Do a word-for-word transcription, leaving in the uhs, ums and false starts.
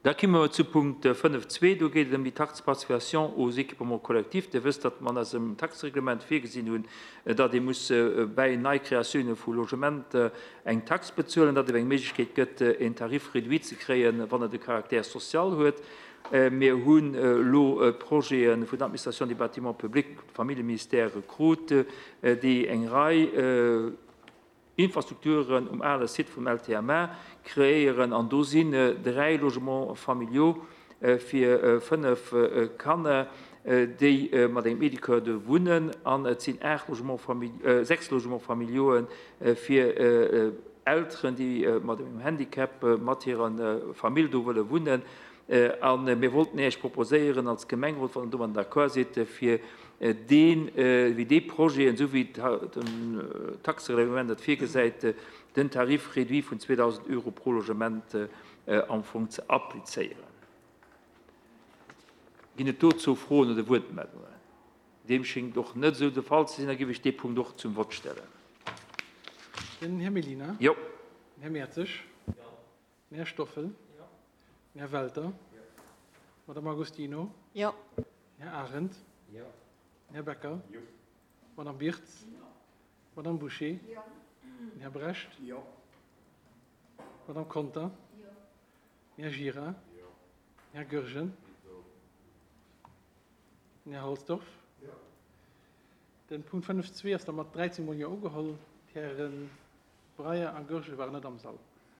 Da komme mer zu Punkt fënnef zwee. Do geet et ëm déi Taxe de participation aux équipements collectifs. Dir wësst, datt mer an eisem Taxereglement virgesinn hunn, datt ee muss bäi Neikreatioune vu Logementer eng Tax bezuelen, datt et eng Méiglechkeet gëtt, en Tarif réduit ze kréien, wann et e Caractère social huet. Mir hunn elo Projete vun der Administration des bâtiments publics, Familljeministère krut, déi eng Rei Infrastrukturen um ale Site vum L T M A kreéieren an do sinn dräi Logements familiaux fir fënnef Kanner, déi mat engem Éducateur do wunnen, an et sinn aacht Logements familiaux, sechs Logements familiaux fir Elteren, déi mat engem Handicap mat hirer Famill do wëlle wunnen. A mir wollten Iech proposéieren als Gemengerot, wann Der domadden d'accord sidd, fir deen, wéi dee Projeten, esou wéi den Taxereglement dat virgesäit, den Tarif réduit vun zweedausend Euro pro Logement am Fong ze applizéieren. Ginn et dozou Froen oder Wuertmeldungen? Deem schéngt och net esou de Fall ze sinn. Da géif ech dee Punkt och zum Vott stellen. Den Här Mellina. Jo. Den Här Mertzig. Den Här Stoffel. Den Här Welter. Madame Agostino. Jo. Den Här Arendt. Jo. Den Här Becker. Jo. Madame Birtz. Madame Bouché. Jo. Den Här Brecht. Jo. Madame Conter. Den Här Gira. Den Här Goergen. Den Här Halsdorf. Den Punkt fënnef zwee ass da mat dräizéng Mol Jo ugeholl. D'Häre Breyer a Goergen waren net am Sall.